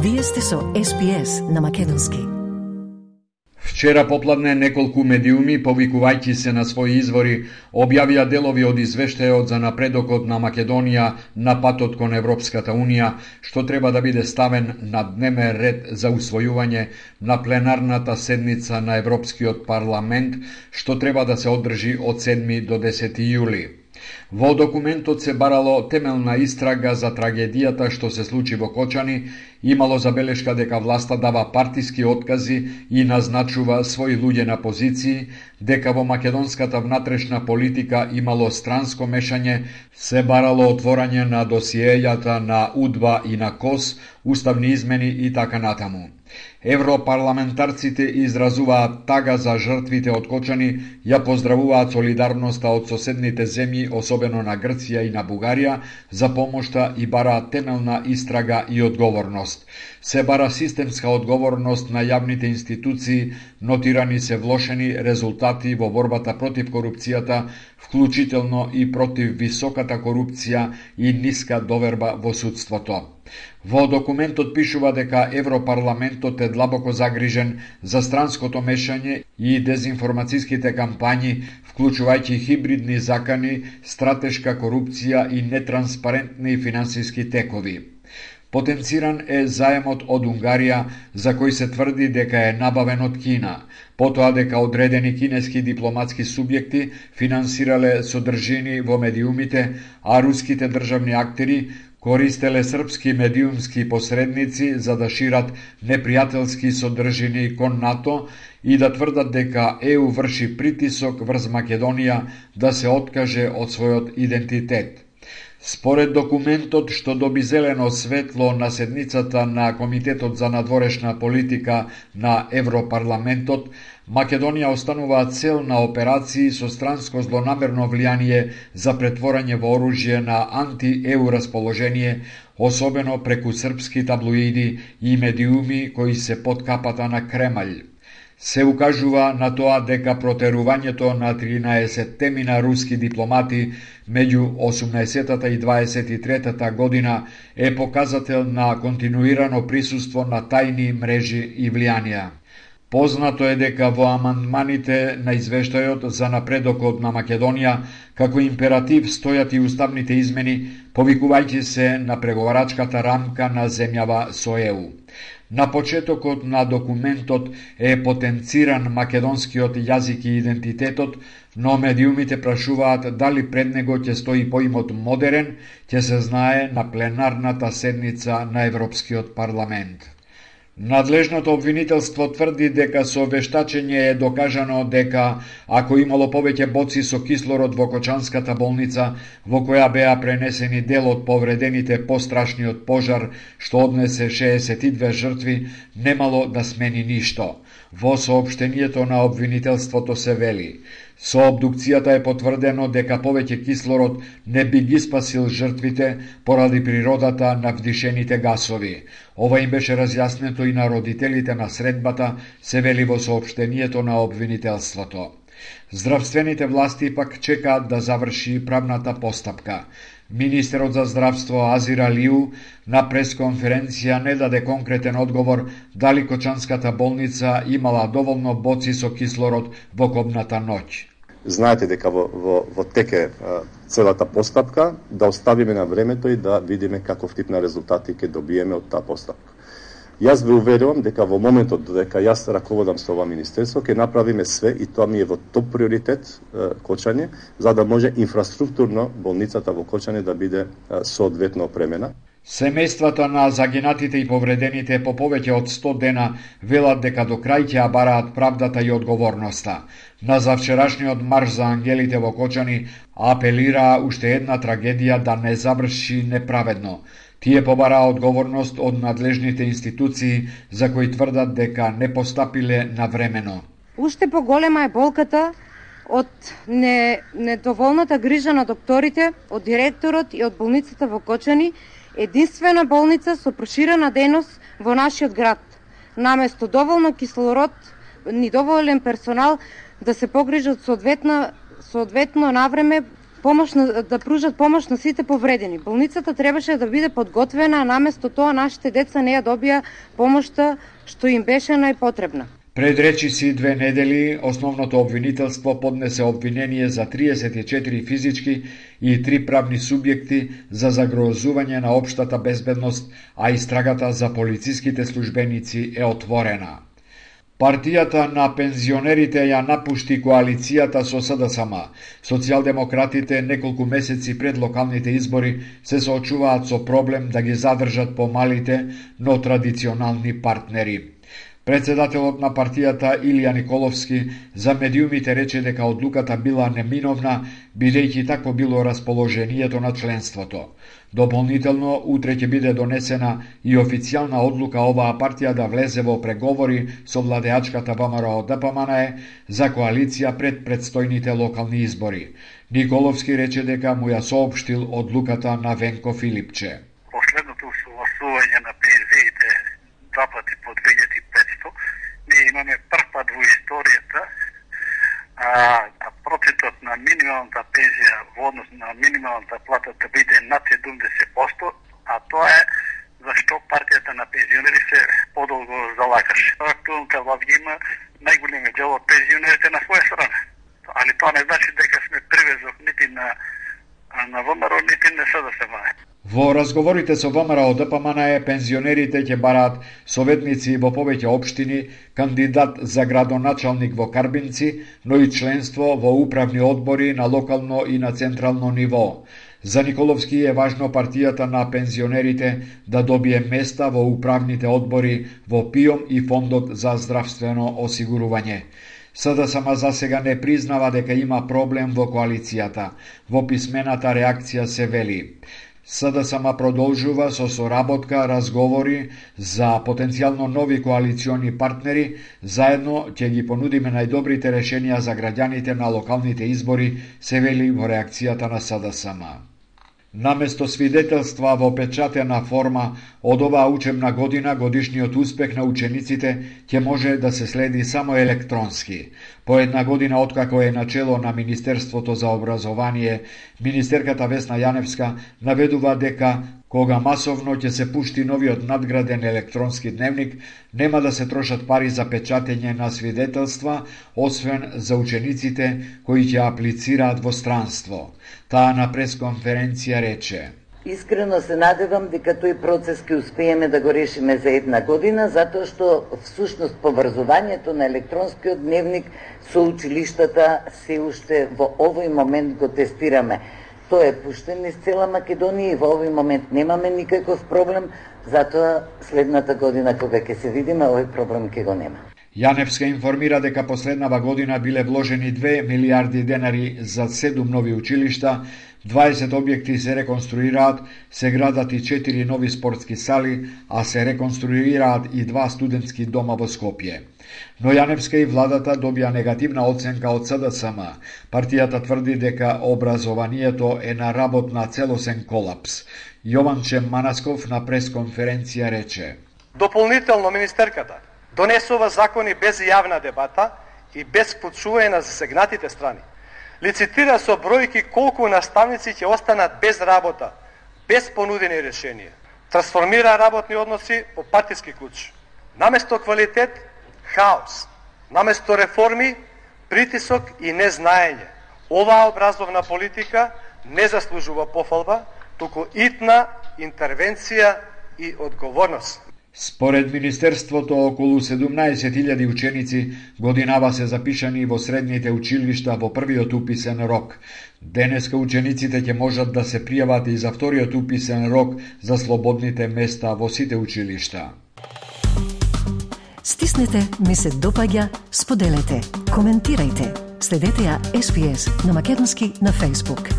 Вие сте со SPS на македонски. Вчера попладне неколку медиуми, повикувајќи се на своји извори, објавија делови од извештајот за напредокот на Македонија на патот кон Европската Унија, што треба да биде ставен на дневен ред за усвојување на пленарната седница на Европскиот парламент, што треба да се одржи од 7 до 10 јули. Во документот се барало темелна истрага за трагедијата што се случи во Кочани, имало забелешка дека власта дава партиски откази и назначува своји луѓе на позиции, дека во македонската внатрешна политика имало странско мешање, се барало отворање на досиејата на УДБА и на КОС, уставни измени и така натаму. Европарламентарците изразуваат тага за жртвите од Кочани, ја поздравуваат солидарноста од соседните земји, особено на Грција и на Бугарија, за помошта и бараат темелна истрага и одговорност. Се бара системска одговорност на јавните институции, нотирани се влошени резултати во борбата против корупцијата, вклучително и против високата корупција и ниска доверба во судството. Во документот пишува дека Европарламентот е длабоко загрижен за странското мешање и дезинформацијските кампањи, вклучувајќи хибридни закани, стратешка корупција и нетранспарентни финансиски текови. Потенциран е заемот од Унгарија, за кој се тврди дека е набавен од Кина, потоа дека одредени кинески дипломатски субјекти финансирале содржини во медиумите, а руските државни актери користеле српски медиумски посредници за да шират непријателски содржини кон НАТО и да тврдат дека ЕУ врши притисок врз Македонија да се откаже од својот идентитет. Според документот што доби зелено светло на седницата на Комитетот за надворешна политика на Европарламентот, Македонија останува цел на операции со странско злонамерно влијание за претворање во оружје на анти-ЕУ расположение, особено преку српски таблоиди и медиуми кои се под капата на Кремљ. Се укажува на тоа дека протерувањето на 13 мина руски дипломати меѓу 18-та и 23-та година е показател на континуирано присуство на тајни мрежи и влијанија. Познато е дека во амандманите на извештајот за напредокот на Македонија, како императив стојат и уставните измени, повикувајќи се на преговарачката рамка на земјава со ЕУ. На почетокот на документот е потенциран македонскиот јазик и идентитетот, но медиумите прашуваат дали пред него ќе стои поимот модерен, ќе се знае на пленарната седница на Европскиот парламент. Надлежното обвинителство тврди дека со вештачење е докажано дека ако имало повеќе боци со кислород во Кочанската болница, во која беа пренесени дел од повредените пострашниот пожар што однесе 62 жртви, немало да смени ништо. Во соопштението на обвинителството се вели: со обдукцијата е потврдено дека повеќе кислород не би ги спасил жртвите поради природата на вдишените гасови. Ова им беше разјаснето и на родителите на средбата, се вели во соопштението на обвинителството. Здравствените власти пак чекаат да заврши правната постапка. Министерот за здравство Азир Алиу на пресконференција не даде конкретен одговор дали Кочанската болница имала доволно боци со кислород во кобната ноќ. Знаете дека во теке целата постапка, да оставиме на времето и да видиме каков тип на резултати ќе добиеме од таа постапка. Јас ве уверувам дека во моментот додека јас раководам со ова министерство, ќе направиме све и тоа ми е во топ приоритет Кочање, за да може инфраструктурно болницата во Кочање да биде соодветно опремена. Семејствата на загинатите и повредените по повеќе од 100 дена велат дека до крај ќе ја бараат правдата и одговорноста. На завчерашниот марш за ангелите во Кочани апелираа уште една трагедија да не заврши неправедно. Тие побараа одговорност од надлежните институции за кои тврдат дека не постапиле навремено. Уште поголема е болката од недоволната грижа на докторите, од директорот и од болницата во Кочани, единствена болница со проширена дејност во нашиот град. Наместо доволно кислород, ни доволен персонал да се погрижат соодветно навреме да пружат помош на сите повредени. Болницата требаше да биде подготвена, а наместо тоа нашите деца не ја добија помошта што им беше најпотребна. Пред речиси 2 недели, основното обвинителство поднесе обвинение за 34 физички и 3 правни субјекти за загрозување на општата безбедност, а истрагата за полициските службеници е отворена. Партијата на пензионерите ја напушти коалицијата со СДСМ. Социјалдемократите неколку месеци пред локалните избори се соочуваат со проблем да ги задржат помалите, но традиционални партнери. Председателот на партијата Илија Николовски за медиумите рече дека одлуката била неминовна, бидејќи такво било расположението на членството. Дополнително, утре ќе биде донесена и официјална одлука оваа партија да влезе во преговори со владеачката ВМРО-ДПМНЕ за коалиција пред предстојните локални избори. Николовски рече дека му ја соопштил одлуката на Венко Филипче. Последното согласување на пензиите 2 пати по 2500, ние имаме прв пат во историјата процентот на минималната пензија во однос на минималната плата да биде над 70%, а тоа е зашто партијата на пензионери се подолго залагаше. Актуелната власт има најголемиот дел од пензионерите на своја страна. Али тоа не значи дека сме привезок нити на ВМРО, нити на СДСМ. Во разговорите со ВМРО-ДПМНЕ пензионерите ќе бараат советници во повеќе општини, кандидат за градоначалник во Карбинци, но и членство во управни одбори на локално и на централно ниво. За Николовски е важно партијата на пензионерите да добие места во управните одбори во ПИОМ и Фондот за здравствено осигурување. СДСМ за сега не признава дека има проблем во коалицијата. Во писмената реакција се вели: СДСМ продолжува со соработка, разговори за потенцијално нови коалициони партнери, заедно ќе ги понудиме најдобрите решенија за граѓаните на локалните избори, се вели во реакцијата на СДСМ. Наместо свидетелства во печатена форма од оваа учебна година, годишниот успех на учениците ќе може да се следи само електронски. По една година откако е начело на Министерството за образование, министерката Весна Јаневска наведува дека кога масовно ќе се пушти новиот надграден електронски дневник, нема да се трошат пари за печатење на свидетелства, освен за учениците кои ќе аплицираат во странство. Таа на пресконференција рече: Искрено се надевам дека тој процес ќе успееме да го решиме за една година, затоа што всушност поврзувањето на електронскиот дневник со училиштата се уште во овој момент го тестираме. Тој е пуштен из цела Македонија и во овој момент немаме никаков проблем, затоа следната година кога ќе се видиме, овој проблем ќе го нема. Јаневска информира дека последнава година биле вложени 2 милиарди денари за 7 нови училишта, 20 објекти се реконструираат, се градат и 4 нови спортски сали, а се реконструираат и 2 студентски дома во Скопје. Но Јаневска и владата добија негативна оценка од СДСМ. Партијата тврди дека образованието е на работ на целосен колапс. Јованче Манасков на пресконференција рече: Дополнително министерката донесува закони без јавна дебата и без вклучување на засегнатите страни. Лицитира со бројки колку наставници ќе останат без работа, без понудени решенија. Трансформира работни односи по партиски клуч. Наместо квалитет, хаос. Наместо реформи, притисок и незнаење. Оваа образовна политика не заслужува пофалба, туку итна интервенција и одговорност. Според Министерството, околу 17.000 ученици годинава се запишани во средните училишта во првиот уписен рок. Денеска учениците ќе можат да се пријават и за вториот уписен рок за слободните места во сите училишта. Стиснете, ми се допаѓа, споделете, коментирајте. Следете ја SPS на Македонски на Facebook.